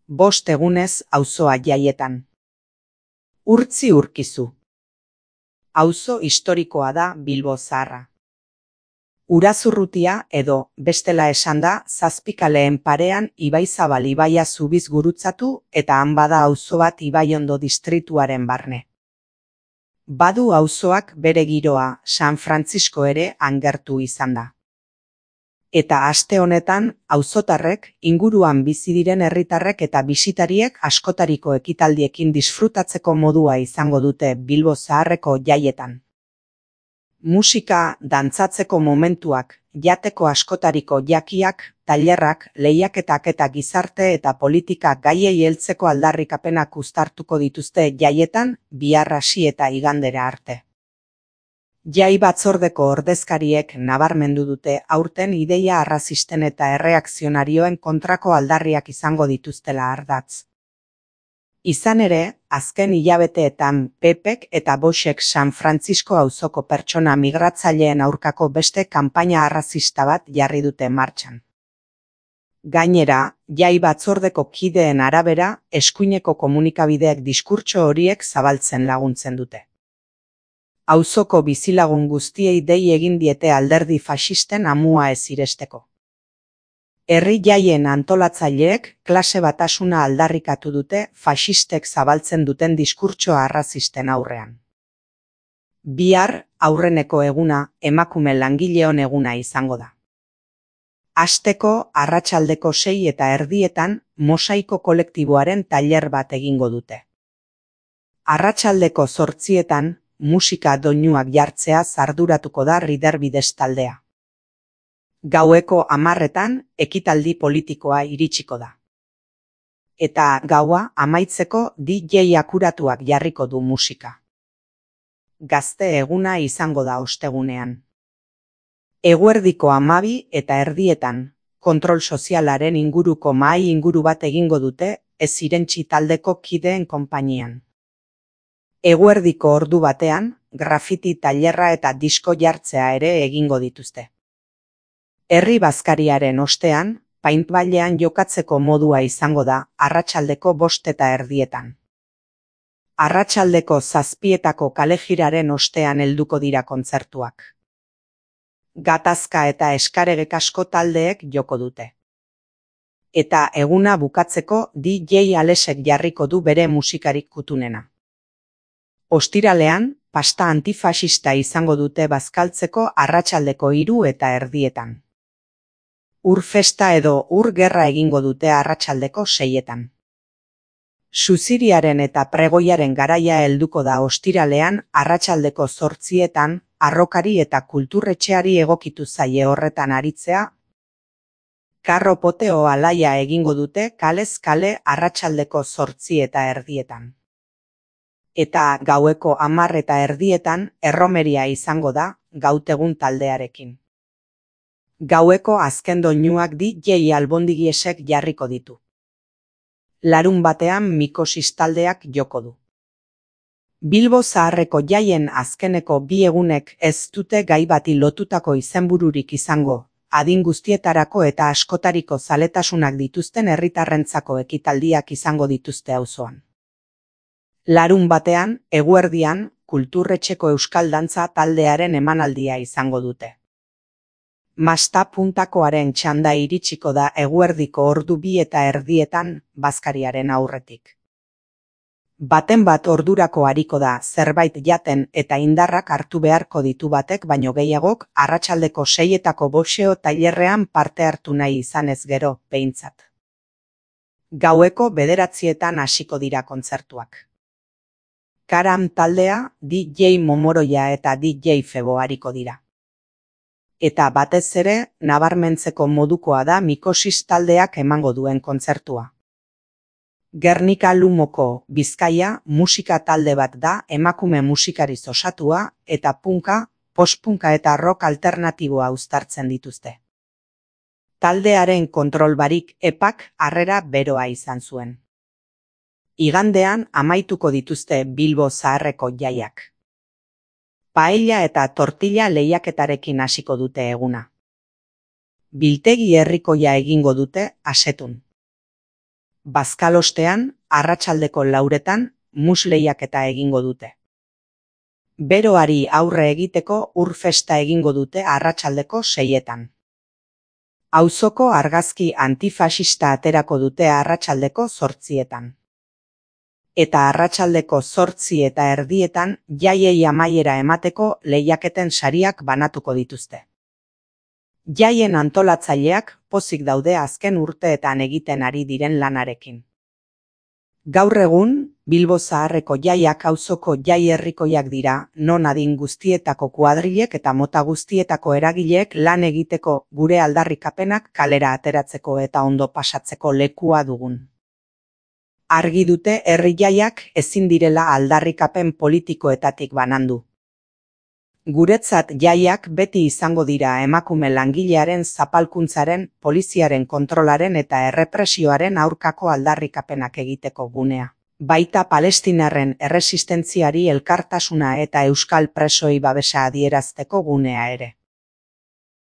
5 egunez auzoa jaietan. Urtzi urkizu. Auzo historikoa da Bilbo Zaharra. Urazurrutia edo, bestela esanda, Zazpikaleen parean Ibaizabal ibaia zubiz gurutzatu eta han bada auzo bat Ibaiondo distrituaren barne. Badu auzoak bere giroa, San Frantzisko ere angertu izan da. Eta aste honetan, auzotarrek, inguruan bizi diren herritarrek eta bisitariek askotariko ekitaldiekin disfrutatzeko modua izango dute Bilbo Zaharreko jaietan. Musika, dantzatzeko momentuak, jateko askotariko jakiak, tailerrak, lehiaketak eta gizarte eta politika gaiei heltzeko aldarrikapenak uztartuko dituzte jaietan, bihar hasi eta igandera arte. Jai batzordeko ordezkariek nabarmendu dute aurten ideia arrazisten eta erreakzionarioen kontrako aldarriak izango dituztela ardatz. Izan ere, azken hilabeteetan Pepek eta Voxek San Frantzisko auzoko pertsona migratzaileen aurkako beste kanpaina arrazista bat jarri dute martxan. Gainera, jai batzordeko kideen arabera, eskuineko komunikabideek diskurtso horiek zabaltzen laguntzen dute. Auzoko bizilagun guztiei dei egin diete alderdi faxisten amua ez iresteko. Herri jaien antolatzaileek klase batasuna aldarrikatu dute faxistek zabaltzen duten diskurtsoa arrazisten aurrean. Bihar, aurreneko eguna, emakume langileon eguna izango da. Hasteko, arratsaldeko 6:30 Mosaiko kolektiboaren tailer bat egingo dute. Arratsaldeko 8:00 musika doinuak jartzea arduratuko da Riderbides taldea. Gaueko 10:00 ekitaldi politikoa iritsiko da. Eta gaua amaitzeko DJ akuratuak jarriko du musika. Gazte eguna izango da ostegunean. Eguerdiko 12:30 kontrol sozialaren inguruko mahai inguru bat egingo dute ez irentsi taldeko kideen konpainian. Eguerdiko ordu batean, grafiti tailerra eta disko jartzea ere egingo dituzte. Herri bazkariaren ostean, paintballean jokatzeko modua izango da arratsaldeko 5:30. Arratsaldeko 7:00 kalejiraren ostean helduko dira kontzertuak. Gatazka eta eskaregek asko taldeek joko dute. Eta eguna bukatzeko DJ Alesek jarriko du bere musikarik kutunena. Ostiralean, pasta antifaxista izango dute bazkaltzeko arratsaldeko 3:30. Ur festa edo ur gerra egingo dute arratsaldeko 6:00. Suziriaren eta pregoiaren garaia helduko da ostiralean arratsaldeko 8:00 arrokari eta kulturretxeari egokitu zaie horretan aritzea. Karro poteo alaia egingo dute kalez kale arratsaldeko 8:30. Eta gaueko 10:30 erromeria izango da gautegun taldearekin. Gaueko azken doinuak DJ Albondigiesek jarriko ditu. Larunbatean Mikosis taldeak joko du. Bilbo Zaharreko jaien azkeneko 2 egunek ez dute gai bati lotutako izenbururik izango, adin guztietarako eta askotariko zaletasunak dituzten herritarrentzako ekitaldiak izango dituzte auzoan. Larunbatean, eguerdian, kulturretxeko euskal dantza taldearen emanaldia izango dute. Masta puntakoaren txanda iritsiko da eguerdiko ordu 2:30 bazkariaren aurretik. Baten bat ordurako ariko da zerbait jaten eta indarrak hartu beharko ditu batek baino gehiagok arratsaldeko 6:00 boxeo tailerrean parte hartu nahi izanez gero, behintzat. Gaueko 9:00 hasiko dira kontzertuak. Karam taldea, DJ Momoroia eta DJ Febo ariko dira. Eta batez ere, nabarmentzeko modukoa da Mikosis taldeak emango duen kontzertua. Gernika Lumoko, Bizkaia, musika talde bat da emakume musikariz osatua eta punka, postpunka eta rock alternatiboa uztartzen dituzte. Taldearen kontrol barik epak harrera beroa izan zuen. Igandean amaituko dituzte Bilbo Zaharreko jaiak. Paella eta tortilla lehiaketarekin hasiko dute eguna. Biltegi herrikoia egingo dute Asetun. Bazkalostean, arratsaldeko 4etan, musleiaketa egingo dute. Beroari aurre egiteko ur festa egingo dute arratsaldeko 6etan. Auzoko argazki antifasista aterako dute arratsaldeko 8etan. Eta arratsaldeko 8:30 jaiei amaiera emateko lehiaketen sariak banatuko dituzte. Jaien antolatzaileak pozik daude azken urteetan egiten ari diren lanarekin. Gaur egun, Bilbo Zaharreko jaiak auzoko jai herrikoiak dira, non adin guztietako kuadrilek eta mota guztietako eragileek lan egiteko gure aldarrikapenak kalera ateratzeko eta ondo pasatzeko lekua dugun. Argi dute herri jaiak ezin direla aldarrikapen politikoetatik banandu. Guretzat jaiak beti izango dira emakume langilearen zapalkuntzaren, poliziaren kontrolaren eta errepresioaren aurkako aldarrikapenak egiteko gunea. Baita palestinarren erresistentziari elkartasuna eta euskal presoi babesa adierazteko gunea ere.